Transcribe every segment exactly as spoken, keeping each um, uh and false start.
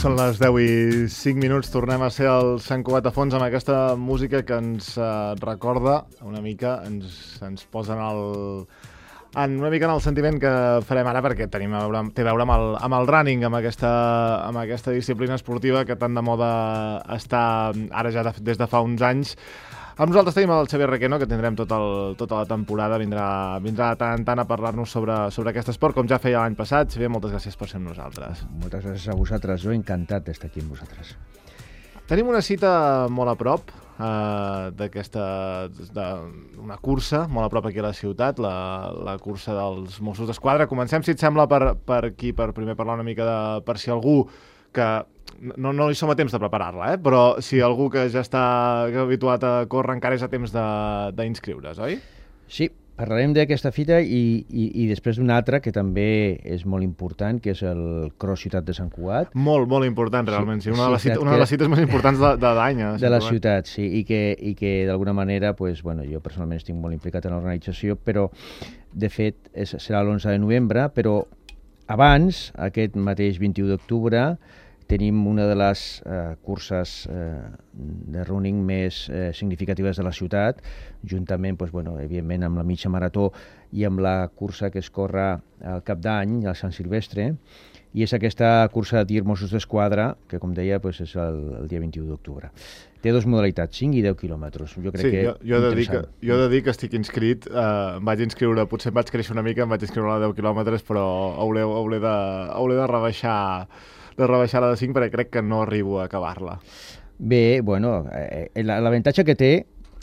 Són les deu i cinc minuts, tornem a ser al Sant Cugat a fons amb aquesta música que ens eh, recorda una mica, ens, ens posa en el, en una mica en el sentiment que farem ara, perquè tenim a veure, té a veure amb el, amb el running, amb aquesta, amb aquesta disciplina esportiva que tan de moda està ara ja de, des de fa uns anys. Amb nosaltres tenim el Xavier Requeno, que tindrem tot el, tota la temporada, vindrà, vindrà de tant en tant a parlar-nos sobre, sobre aquest esport, com ja feia l'any passat. Xavier, moltes gràcies per ser amb nosaltres. Moltes gràcies a vosaltres, jo encantat d'estar aquí amb vosaltres. Tenim una cita molt a prop eh, d'aquesta, una cursa molt a prop aquí a la ciutat, la, la cursa dels Mossos d'Esquadra. Comencem, si et sembla, per, per aquí, per primer parlar una mica de, per si algú que no, no hi som a temps de preparar-la, eh? Però si algú que ja està habituat a córrer encara és a temps d'inscriure's, oi? Sí, parlarem d'aquesta fita i, i, i després d'una altra que també és molt important, que és el Cross Ciutat de Sant Cugat. Molt, molt important, realment. Sí, sí, una, de les cites, sí, una de les cites més importants de, de l'any. De la ciutat, sí, i que, i que d'alguna manera, pues, bueno, jo personalment estic molt implicat en l'organització, però de fet és, serà l'onze de novembre, però abans, aquest mateix vint-i-u d'octubre, tenim una de les eh, curses eh, de running més eh, significatives de la ciutat, juntament, pues, bueno, evidentment, amb la mitja marató i amb la cursa que es corre al cap d'any, al Sant Silvestre, i és aquesta cursa de tir Mossos d'Esquadra, que, com deia, pues, és el, el dia vint-i-u d'octubre. Té dues modalitats, cinc i deu quilòmetres. Jo crec sí, que jo, jo, he de dir que jo he de dir que estic inscrit, eh, em vaig inscriure, potser em vaig créixer una mica, em vaig inscriure a la deu quilòmetres, però hauré, hauré, de, hauré de rebaixar de rebaixar la de cinc perquè crec que no arribo a acabar-la. Bé, bueno, eh, l'avantatge que té,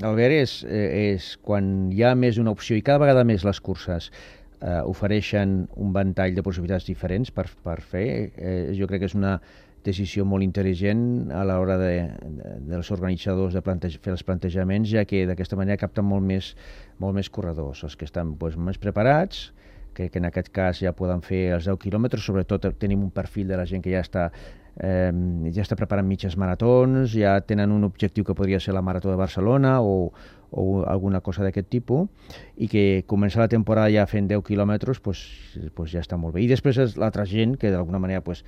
Albert, és, eh, és quan hi ha més d'una opció i cada vegada més les curses eh, ofereixen un ventall de possibilitats diferents per, per fer. Eh, jo crec que és una decisió molt intel·ligent a l'hora de, de, dels organitzadors de plantejar, fer els plantejaments, ja que d'aquesta manera capten molt més, molt més corredors, els que estan doncs, més preparats, que, que en aquest cas ja poden fer els deu quilòmetres, sobretot tenim un perfil de la gent que ja està, eh, ja està preparant mitges maratons, ja tenen un objectiu que podria ser la Marató de Barcelona o, o alguna cosa d'aquest tipus, i que començar la temporada ja fent deu quilòmetres pues, pues ja està molt bé. I després és l'altra gent que d'alguna manera pues,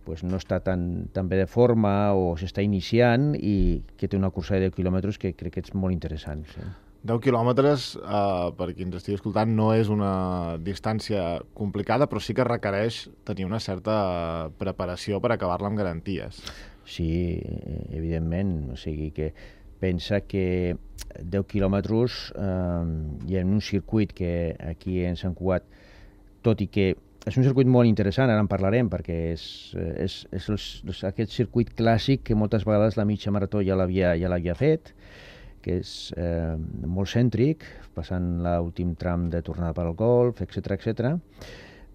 pues no està tan, tan bé de forma o s'està iniciant i que té una cursa de deu quilòmetres que crec que és molt interessant. Sí. deu quilòmetres, eh, per qui ens estigui escoltant, no és una distància complicada, però sí que requereix tenir una certa preparació per acabar-la amb garanties. Sí, evidentment. O sigui que pensa que deu quilòmetres eh, i en un circuit que aquí en Sant Cugat, tot i que és un circuit molt interessant, ara en parlarem, perquè és, és, és, és aquest circuit clàssic que moltes vegades la mitja marató ja l'havia ja l'havia fet, que és eh, molt cèntric, passant l'últim tram de tornada per al golf, etcètera, etcètera.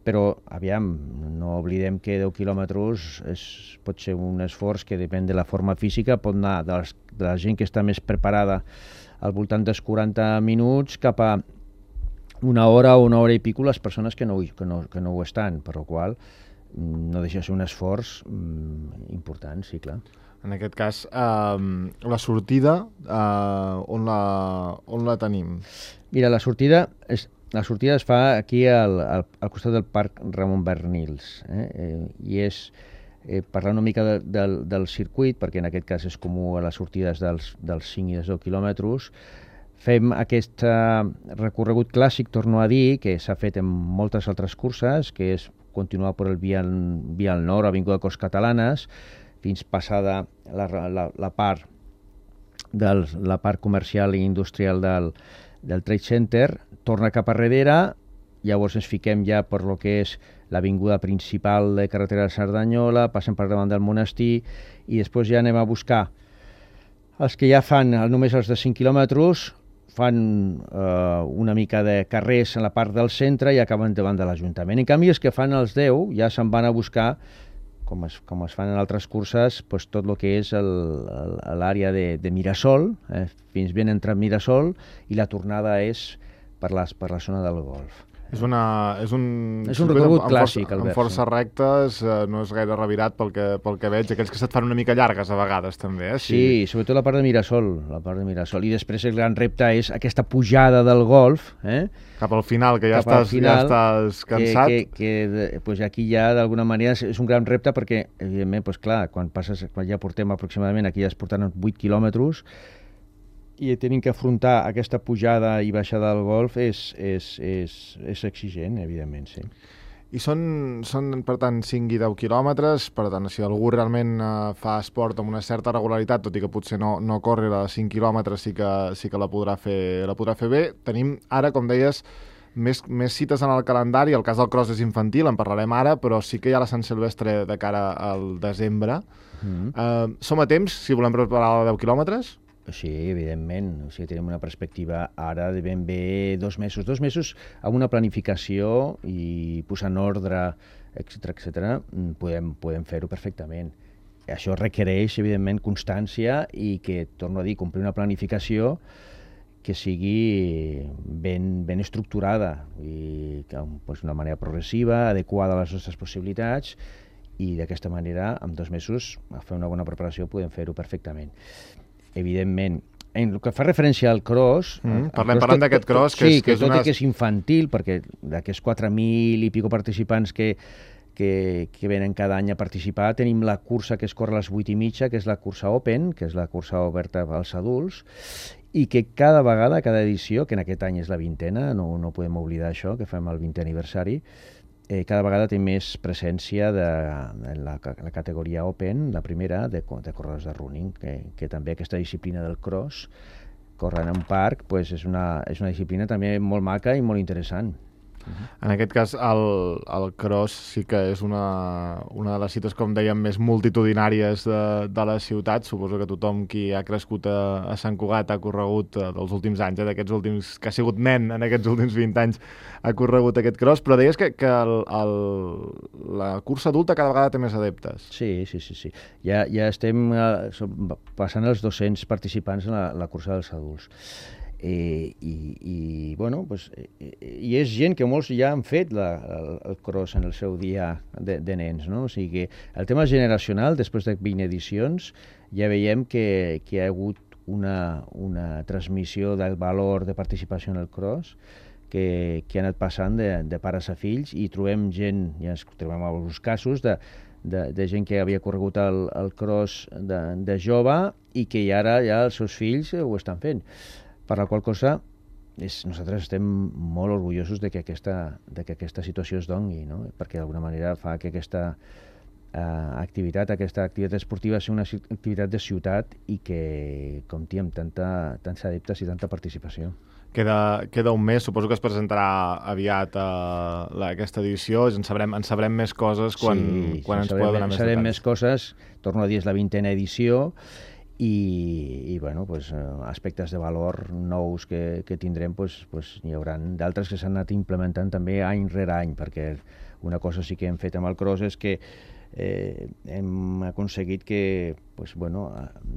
Però, aviam, no oblidem que deu quilòmetres és, pot ser un esforç que depèn de la forma física, pot anar de, les, de la gent que està més preparada al voltant dels quaranta minuts cap a una hora o una hora i pico les persones que no, que no, que no ho estan, per la qual no deixa de ser un esforç mm, important, sí, clar. En aquest cas, eh, la sortida, eh, on, la, on la tenim? Mira, la sortida, és, la sortida es fa aquí al, al, al costat del Parc Ramon Bernils, eh? Eh, i és eh, parlar una mica de, del, del circuit, perquè en aquest cas és comú a les sortides dels, dels cinc i dels deu quilòmetres. Fem aquest uh, recorregut clàssic, torno a dir, que s'ha fet en moltes altres curses, que és continuar per el Vial, Vial Nord, Avinguda Corts Catalanes, fins passada la, la, la, part del, la part comercial i industrial del, del Trade Center, torna cap a darrere, llavors ens fiquem ja per lo que és l'avinguda principal de carretera de Cerdanyola, passem per davant del monestir i després ja anem a buscar els que ja fan només els de cinc quilòmetres, fan eh, una mica de carrers en la part del centre i acaben davant de l'Ajuntament. En canvi, els que fan els deu ja se'n van a buscar com es, com es fan en altres curses, pues, tot el que és l'àrea de, de Mirasol, eh, fins ben entrat Mirasol, i la tornada és per, les, per la zona del golf. És, una, és un, és un recorregut amb, clàssic, amb Albert. Amb força sí. rectes, eh, no és gaire revirat pel que, pel que veig. Aquells que se't fan una mica llargues a vegades, també. Eh? Sí, sí, sobretot la part de Mirasol, la part de Mirasol. I després el gran repte és aquesta pujada del golf, eh? Cap al final, que ja, Cap estàs, final, ja estàs cansat. Que, que, que pues aquí ja, d'alguna manera, és un gran repte perquè, evidentment, pues, clar, quan, passes, quan ja portem aproximadament, aquí ja es portaran vuit quilòmetres, i tenim que afrontar aquesta pujada i baixada del golf és, és, és, és exigent, evidentment, sí. I són, són, per tant, cinc i deu quilòmetres, per tant, si algú realment eh, fa esport amb una certa regularitat, tot i que potser no, no corri a cinc quilòmetres, sí que, sí que la, podrà fer, la podrà fer bé. Tenim ara, com deies, més, més cites en el calendari. El cas del cross és infantil, en parlarem ara, però sí que hi ha la Sant Silvestre de cara al desembre. Mm-hmm. eh, som a temps, si volem preparar la deu quilòmetres? Sí, evidentment. O sigui, tenim una perspectiva ara de ben bé dos mesos. Dos mesos amb una planificació i posar en ordre, etcètera, etcètera, podem, podem fer-ho perfectament. Això requereix, evidentment, constància i que, torno a dir, complir una planificació que sigui ben, ben estructurada i que, pues, d'una manera progressiva, adequada a les nostres possibilitats, i d'aquesta manera, en dos mesos, a fer una bona preparació, podem fer-ho perfectament. Evidentment, en el que fa referència al cross... Mm, parlem parlant d'aquest cross, que sí, és, que és tot una... i que és infantil, perquè d'aquests quatre mil i pico participants que, que, que venen cada any a participar, tenim la cursa que es corre a les vuit i mitja, que és la cursa Open, que és la cursa oberta als adults, i que cada vegada, cada edició, que en aquest any és la vintena, no, no podem oblidar això, que fem el vintè aniversari, Eh, cada vegada té més presència de, de la, la categoria Open, la primera, de, de corredors de running, que, que també aquesta disciplina del cross, córrer en un parc, pues és, una, és una disciplina també molt maca i molt interessant. En aquest cas, el, el cross sí que és una, una de les cites, com dèiem, més multitudinàries de, de la ciutat. Suposo que tothom qui ha crescut a, a Sant Cugat ha corregut eh, dels últims anys, eh, d'aquests últims, que ha sigut nen en aquests últims vint anys, ha corregut aquest cross, però deies que, que el, el, la cursa adulta cada vegada té més adeptes. Sí, sí, sí. sí. Ja, ja estem eh, passant els dos-cents participants en la, la cursa dels adults. Eh, i, i, bueno, pues, eh, i és gent que molts ja han fet la, el, el cross en el seu dia de, de nens, no? O sigui que el tema generacional, després de vint edicions, ja veiem que, que hi ha hagut una, una transmissió del valor de participació en el cross que, que ha anat passant de, de pares a fills, i trobem gent, ja ens trobem alguns casos de, de, de gent que havia corregut el, el cross de, de jove i que ara ja els seus fills ho estan fent. Per la qual cosa, és, nosaltres estem molt orgullosos de que aquesta, de que aquesta situació es doni, no? Perquè d'alguna manera fa que aquesta eh, activitat, aquesta activitat esportiva sigui una activitat de ciutat i que compti amb tanta, tants adeptes i tanta participació. Queda, queda un mes, suposo que es presentarà aviat a la, aquesta edició, en sabrem, en sabrem més coses quan, sí, quan ens sabrem, podeu donar més sabrem detalls. més coses, torno a dir, és la vintena edició, i, i bueno, pues, aspectes de valor nous que, que tindrem, pues, pues, hi haurà d'altres que s'han anat implementant també any rere any, perquè una cosa sí que hem fet amb el cross és que eh, hem aconseguit que, pues, bueno,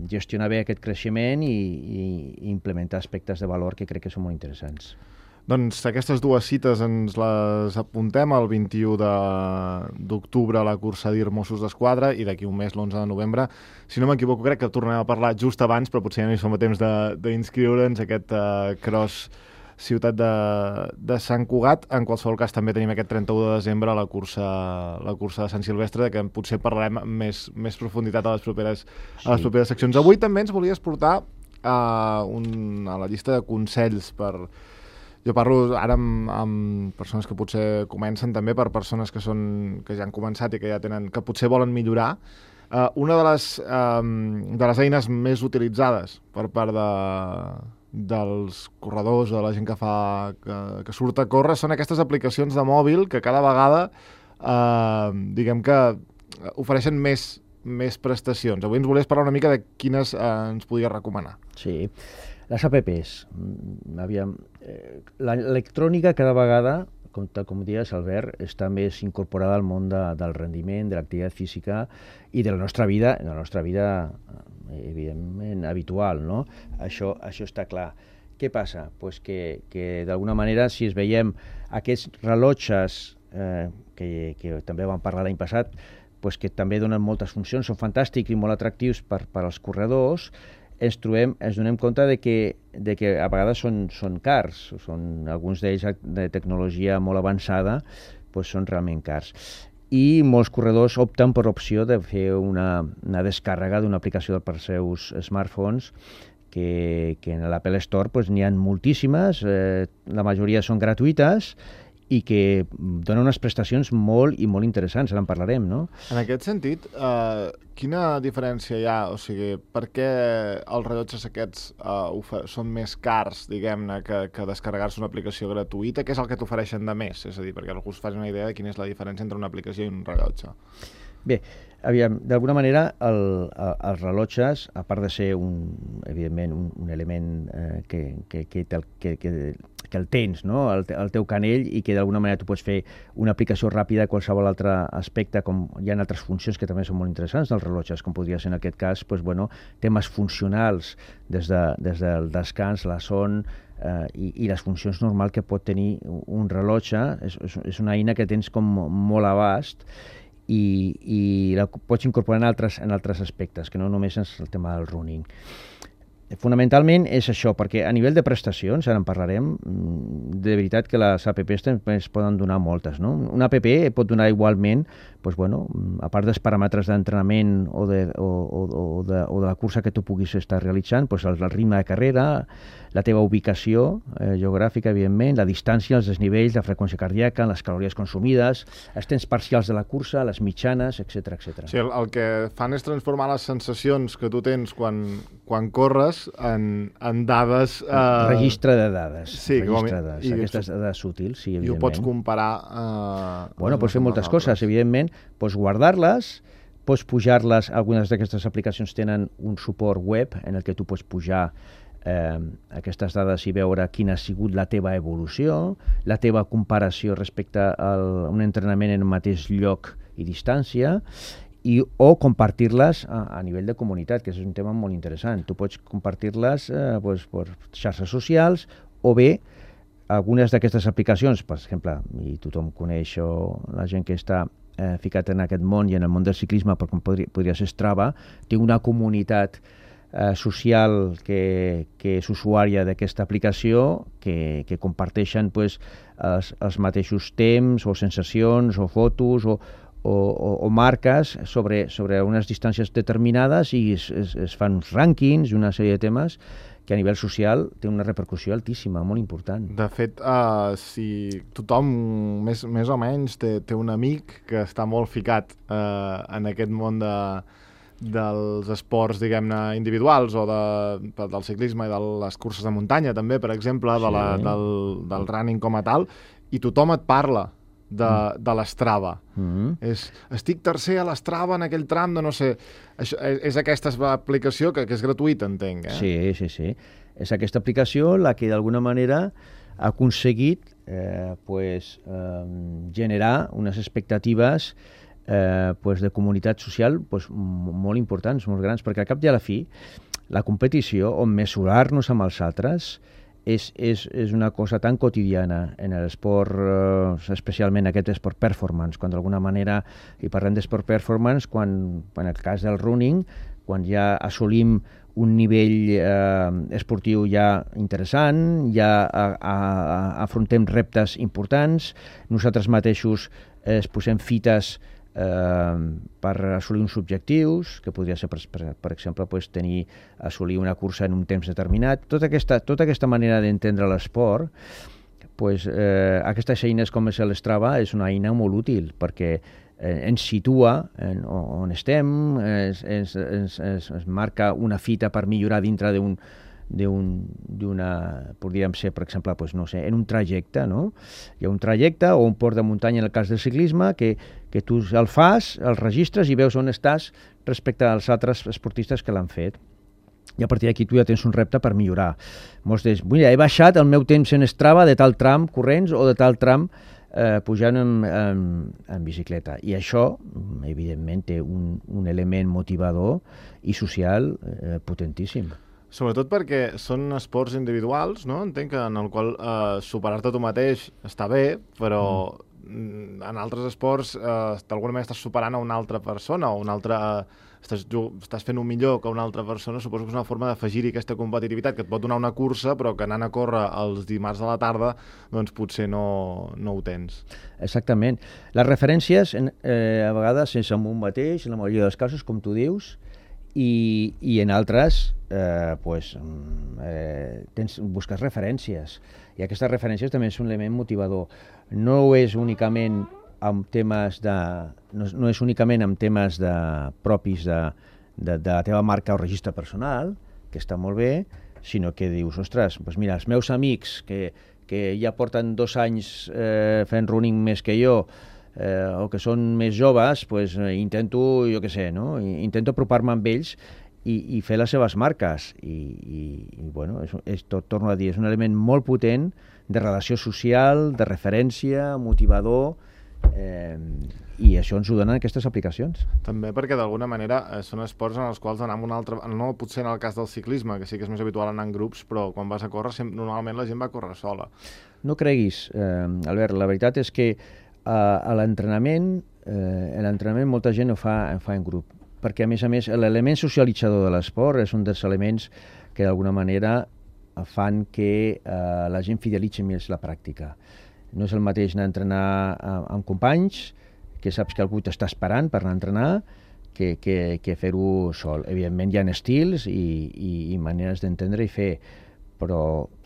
gestionar bé aquest creixement i, i implementar aspectes de valor que crec que són molt interessants. Doncs aquestes dues cites ens les apuntem el vint-i-u d'octubre a la cursa d'I R Mossos d'Esquadra i d'aquí un mes, l'onze de novembre. Si no m'equivoco, crec que tornarem a parlar just abans, però potser ja no hi som a temps d'inscriure'ns aquest uh, cross ciutat de, de Sant Cugat. En qualsevol cas, també tenim aquest trenta-u de desembre la cursa, la cursa de Sant Silvestre, de que potser parlarem amb més, més profunditat a les properes, sí. a les properes seccions. Avui també ens volies portar uh, un, a la llista de consells per... Jo parlo ara amb, amb persones que potser comencen, també per persones que són que ja han començat i que ja tenen, que potser volen millorar. Uh, una de les, um, de les eines més utilitzades per part de, dels corredors, de la gent que fa que, que surt a córrer, són aquestes aplicacions de mòbil que cada vegada uh, diguem que ofereixen més, més prestacions. Avui ens volies parlar una mica de quines uh, ens podies recomanar. Sí. Les apps, aviam, eh, l'electrònica cada vegada, com, tal com dius, Albert, està més incorporada al món de, del rendiment, de l'activitat física i de la nostra vida, de la nostra vida evidentment habitual, no? Això, això està clar. Què passa? Pues que, que d'alguna manera, si es veiem aquests rellotges eh, que, que també vam parlar l'any passat, pues que també donen moltes funcions, són fantàstics i molt atractius per, per als corredors, ens trobem, ens donem compte de que, de que a vegades són, són cars, són alguns d'ells de tecnologia molt avançada, pues són realment cars. I molts corredors opten per opció de fer una, una descàrrega d'una aplicació per seus smartphones, que, que en l'Apple Store pues, n'hi ha moltíssimes, eh, la majoria són gratuïtes, i que dona unes prestacions molt i molt interessants, ara en parlarem, no? En aquest sentit, eh, quina diferència hi ha? O sigui, per què els rellotges aquests eh, són més cars, diguem-ne, que, que descarregar-se una aplicació gratuïta? Què és el que t'ofereixen de més? És a dir, perquè algú es faci una idea de quina és la diferència entre una aplicació i un rellotge. Bé, aviam, d'alguna manera el, el, els rellotges, a part de ser un, evidentment un, un element eh, que, que, que, que, que, que el tens, no? el, el teu canell, i que d'alguna manera tu pots fer una aplicació ràpida a qualsevol altre aspecte, com hi ha altres funcions que també són molt interessants dels rellotges, com podria ser en aquest cas pues, bueno, temes funcionals des, de, des del descans, la son, eh, i, i les funcions normals que pot tenir un rellotge. És, és, és una eina que tens com molt abast, i, i la pots incorporar en altres, en altres aspectes, que no només és el tema del running. Fonamentalment és això, perquè a nivell de prestacions, ara en parlarem, de veritat que les apps també es poden donar moltes, no? Una app pot donar igualment, doncs, bueno, a part dels paràmetres d'entrenament o, de, o, o, o, de, o de la cursa que tu puguis estar realitzant, doncs el, el ritme de carrera, la teva ubicació eh, geogràfica, evidentment, la distància, els desnivells, la freqüència cardíaca, les calories consumides, els temps parcials de la cursa, les mitjanes, etcètera, etcètera. Sí, el, el que fan és transformar les sensacions que tu tens quan, quan corres en, en dades... Eh... Registre de dades. Sí, registre de dades. I aquestes dades útils, sí, evidentment. I ho pots comparar... Eh, bueno, pots fer moltes coses, evidentment. Pots guardar-les, pots pujar-les, algunes d'aquestes aplicacions tenen un suport web en el que tu pots pujar eh, aquestes dades i veure quina ha sigut la teva evolució, la teva comparació respecte a un entrenament en el mateix lloc i distància, i, o compartir-les a, a nivell de comunitat, que és un tema molt interessant. Tu pots compartir-les eh, doncs, per xarxes socials, o bé algunes d'aquestes aplicacions, per exemple, i tothom coneix o la gent que està eh, ficat en aquest món i en el món del ciclisme, per com podria, podria ser Strava, té una comunitat eh, social que, que és usuària d'aquesta aplicació, que, que comparteixen pues, els, els mateixos temps o sensacions o fotos o, o, o, o marques sobre, sobre unes distàncies determinades, i es, es, es fan uns rànquings i una sèrie de temes que a nivell social té una repercussió altíssima, molt important. De fet, uh, si tothom més, més o menys té, té un amic que està molt ficat uh, en aquest món de, dels esports, diguem-ne, individuals, o de, del ciclisme i de les curses de muntanya, també, per exemple, de la, sí. del, del running com a tal, i tothom et parla de, mm. de l'Strava. Mm-hmm. És, estic tercer a l'Strava en aquell tram de no sé... Això, és, és aquesta aplicació que, que és gratuïta, entenc, eh? Sí, sí, sí. És aquesta aplicació la que d'alguna manera ha aconseguit eh, pues, eh, generar unes expectatives eh, pues, de comunitat social pues, molt importants, molt grans, perquè al cap i a la fi la competició, on mesurar-nos amb els altres, És, és, és una cosa tan quotidiana en l'esport, eh, especialment aquest esport performance, quan d'alguna manera, i parlem d'esport performance, quan, en el cas del running, quan ja assolim un nivell eh, esportiu ja interessant, ja a, a, a, afrontem reptes importants, nosaltres mateixos eh, es posem fites Eh, per assolir uns objectius, que podria ser, per, per, per exemple, pues, tenir, assolir una cursa en un temps determinat. Tota aquesta, tota aquesta manera d'entendre l'esport, pues, eh, aquestes eines com és l'Strava és una eina molt útil, perquè eh, ens situa en, on estem, ens, ens, ens, ens, ens marca una fita per millorar dintre d'un d'una, podríem ser, per exemple, pues, no sé, en un trajecte, no? Hi ha un trajecte o un port de muntanya, en el cas del ciclisme, que, que tu el fas, el registres i veus on estàs respecte als altres esportistes que l'han fet. I a partir d'aquí tu ja tens un repte per millorar. Molts dius, mira, he baixat el meu temps en Strava de tal tram corrents o de tal tram eh, pujant en, en, en bicicleta. I això, evidentment, té un, un element motivador i social eh, potentíssim. Sobretot perquè són esports individuals, no? Entenc que en el qual eh, superar-te tu mateix està bé, però mm. en altres esports eh, d'alguna manera estàs superant a una altra persona o una altra... Eh, estàs, estàs fent un millor que una altra persona. Suposo que és una forma d'afegir-hi aquesta competitivitat que et pot donar una cursa, però que anant a córrer els dimarts a la tarda, doncs potser no, no ho tens. Exactament. Les referències, eh, a vegades, és amb un mateix, en la majoria dels casos, com tu dius, i, i en altres eh, pues, eh, tens, busques referències, i aquestes referències també és un element motivador. No és únicament amb temes de, no, no és únicament amb temes de, propis de, de, de la teva marca o registre personal, que està molt bé, sinó que dius, ostres, doncs mira, els meus amics que, que ja porten dos anys eh, fent running més que jo, eh, o que són més joves, pues, eh, intento, jo què sé, no? intento apropar-me amb ells i, i fer les seves marques. I, i, i bueno, és, és, tot, torno a dir, és un element molt potent de relació social, de referència, motivador, eh, i això ens ho donen aquestes aplicacions. També perquè d'alguna manera eh, són esports en els quals anar amb un altre... No potser en el cas del ciclisme, que sí que és més habitual anar en grups, però quan vas a córrer sempre, normalment la gent va a córrer sola. No creguis, eh, Albert, la veritat és que eh, a l'entrenament, eh, l'entrenament molta gent ho fa, ho fa en grup, perquè a més a més l'element socialitzador de l'esport és un dels elements que d'alguna manera fan que eh, la gent fidelitzi més la pràctica. No és el mateix anar a entrenar amb companys, que saps que algú t'està esperant per anar a entrenar, que, que, que fer-ho sol. Evidentment hi ha estils i, i, i maneres d'entendre i fer, però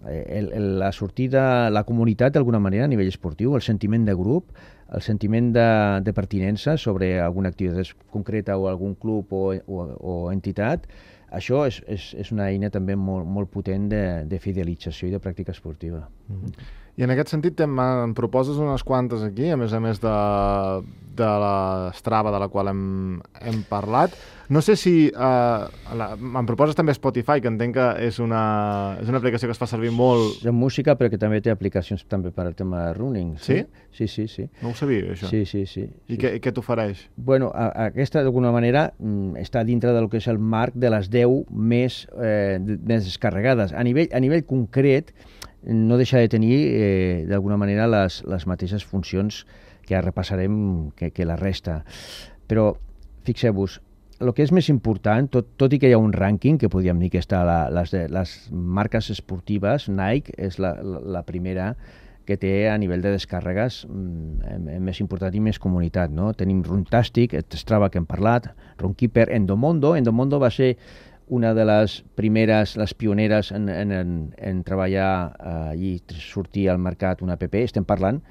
el, el, la sortida, la comunitat d'alguna manera a nivell esportiu, el sentiment de grup, el sentiment de, de pertinença sobre alguna activitat concreta o algun club o, o, o entitat, això és, és, és una eina també molt, molt potent de, de fidelització i de pràctica esportiva. Mm-hmm. I en aquest sentit em, em proposes unes quantes aquí, a més a més de, de la Strava de la qual hem, hem parlat. No sé si... Eh, la, em proposes també Spotify, que entenc que és una, és una aplicació que es fa servir molt... És música, però que també té aplicacions també per al tema de running. Sí? Sí, sí, sí. No ho sabia, això. Sí, sí, sí. I sí. què, què t'ofereix? Bueno, a, aquesta, d'alguna manera, està dintre del que és el marc de les deu més, eh, més descarregades. A nivell, a nivell concret, no deixa de tenir, eh, d'alguna manera, les, les mateixes funcions que ara repassarem que, que la resta. Però, fixeu-vos, el que és més important, tot, tot i que hi ha un rànquing, que podríem dir que està la, les, les marques esportives, Nike és la, la, la primera que té a nivell de descàrregues mm, més important i més comunitat, no? Tenim Runtastic, Strava que hem parlat, Runkeeper, Endomondo. Endomondo va ser una de les primeres, les pioneres en, en, en, en treballar eh, i sortir al mercat una app. Estem parlant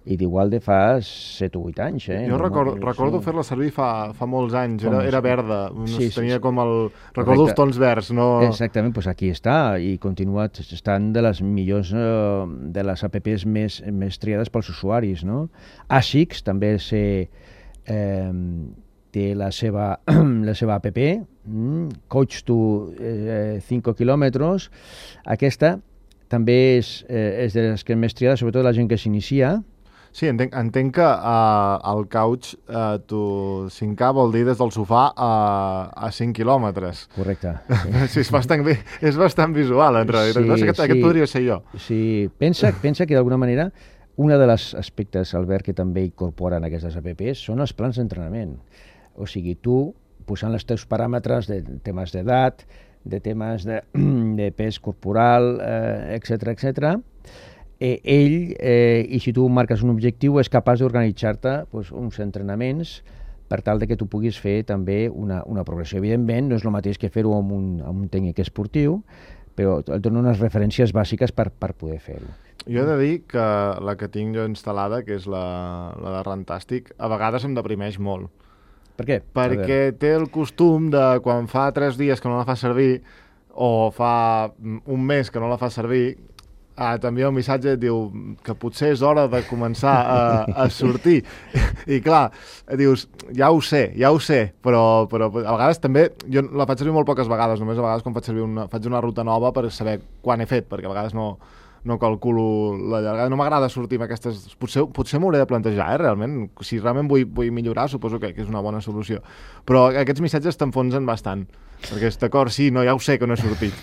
i d'igual de fa set o vuit anys. Eh? Jo no, recordo, no, recordo sí. fer-la servir fa, fa molts anys, era, era verda, no sí, tenia sí, com el... Correcte. Recordo els tons verds, no... Exactament, doncs aquí està, i continua estant de les millors, eh, de les apps més, més triades pels usuaris, no? Asics també sé, eh, té la seva, la seva app, mm, Coach to eh, cinc quilòmetres. Aquesta també és, eh, és de les que més triades, sobretot la gent que s'inicia. Sí, entenc, entenc que uh, el couch uh, tu cinc K vol dir des del sofà a, a cinc quilòmetres. Correcte. Sí, sí és, bastant, és bastant visual, en realitat. Sí, no sé, aquest, sí. aquest podria ser jo. Sí, pensa, pensa que d'alguna manera un dels aspectes, Albert, que també incorporen aquestes apps són els plans d'entrenament. O sigui, tu, posant els teus paràmetres de temes d'edat, de temes de, de pes corporal, eh, etcètera, etcètera, Eh, ell, eh, i si tu marques un objectiu, és capaç d'organitzar-te pues, uns entrenaments per tal de que tu puguis fer també una, una progressió. Evidentment, no és el mateix que fer-ho amb un, amb un tècnic esportiu, però et dona unes referències bàsiques per, per poder fer-ho. Jo he de dir que la que tinc jo instal·lada, que és la, la de Runtastic, a vegades em deprimeix molt. Per què? Perquè té el costum de quan fa tres dies que no la fa servir o fa un mes que no la fa servir, Ah, també un missatge et diu que potser és hora de començar a, a sortir. I clar, dius, ja ho sé, ja ho sé, però, però a vegades també, jo la faig servir molt poques vegades, només a vegades quan faig servir una, faig una ruta nova per saber quan he fet, perquè a vegades no, no calculo la llargada. No m'agrada sortir amb aquestes... Potser, potser m'ho hauré de plantejar, eh, realment. Si realment vull, vull millorar, suposo que, que és una bona solució. Però aquests missatges t'enfonsen bastant. Perquè, d'acord, sí, no, ja ho sé que no he sortit.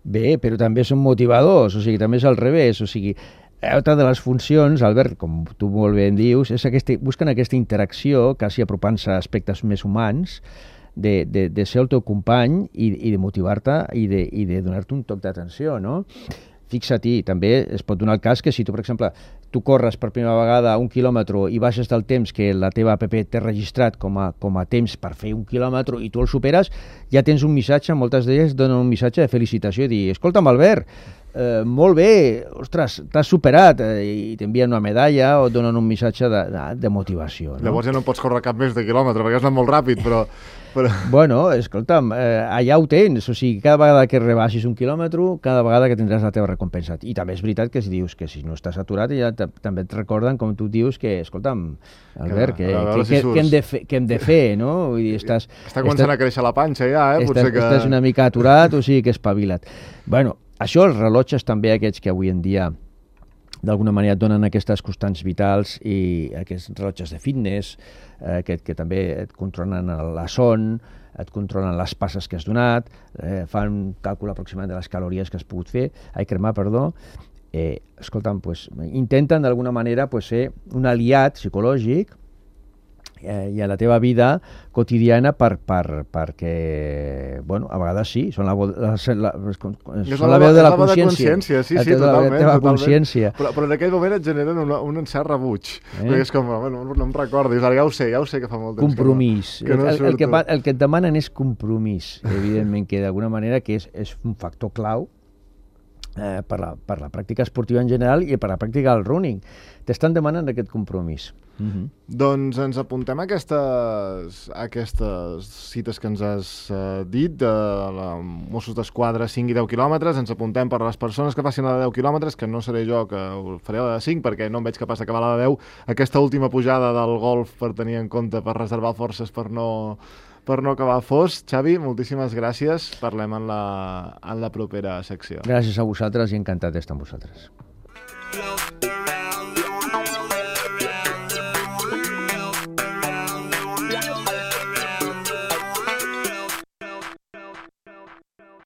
Bé, però també són motivadors, o sigui, també és al revés, o sigui, altra de les funcions, Albert, com tu molt bé en dius, és aquesta, busquen aquesta interacció, quasi apropant-se a aspectes més humans, de, de, de ser el teu company i, i de motivar-te i de, i de donar-te un toc d'atenció, no? Fixa-t'hi, també es pot donar el cas que si tu, per exemple, tu corres per primera vegada un quilòmetre i baixes del temps que la teva app té registrat com a, com a temps per fer un quilòmetre i tu el superes, ja tens un missatge, moltes d'elles donen un missatge de felicitació i dir, escolta'm, Albert, eh, molt bé, ostres, t'has superat, eh, i t'envien una medalla o et donen un missatge de, de, de motivació. No? Llavors ja no pots córrer cap més de quilòmetre, perquè has anat molt ràpid, però... però... Bueno, escolta'm, eh, allà ho tens, o sigui, cada vegada que rebaixis un quilòmetre, cada vegada que tindràs la teva recompensa. I també és veritat que si dius que si no estàs aturat, ja també et recorden, com tu dius, que, escolta'm, Albert, que, que, que, que, hem de fer, que hem de fer, no? Vull dir, estàs... Està començant estàs, a créixer la panxa ja, eh? Estàs, Potser que... estàs una mica aturat, o sigui que espavila't. Bueno, això, els rellotges també aquests que avui en dia d'alguna manera et donen aquestes constants vitals i aquests rellotges de fitness, eh, que, que també et controlen la son, et controlen les passes que has donat, eh, fan un càlcul aproximat de les calories que has pogut fer, ai, cremar, perdó. Eh, escolta'm, pues, intenten d'alguna manera pues, ser un aliat psicològic eh, i a la teva vida quotidiana per, per, perquè, bueno, a vegades sí, són la, la, la, són la veu de la consciència. Sí, sí, totalment. La teva consciència. Però, però en aquell moment et generen una, un cert rebuig. Eh? Perquè és com, bueno, no em recordo, ara ja ho sé, ja ho sé que fa molt temps compromís. que no, que no el, el, que, el que et demanen és compromís, evidentment, que d'alguna manera que és, és un factor clau eh, per, la, per la pràctica esportiva en general i per la pràctica del running. T'estan demanant aquest compromís. Uh-huh. Doncs ens apuntem a aquestes, a aquestes cites que ens has uh, dit de la Mossos d'Esquadra cinc i deu quilòmetres, ens apuntem per les persones que facin la de deu quilòmetres, que no seré jo que ho faré la de cinc perquè no em veig capaç d'acabar la de deu, aquesta última pujada del golf per tenir en compte, per reservar forces per no, per no acabar fos. Xavi, moltíssimes gràcies, parlem en la, en la propera secció. Gràcies a vosaltres i encantat d'estar amb vosaltres.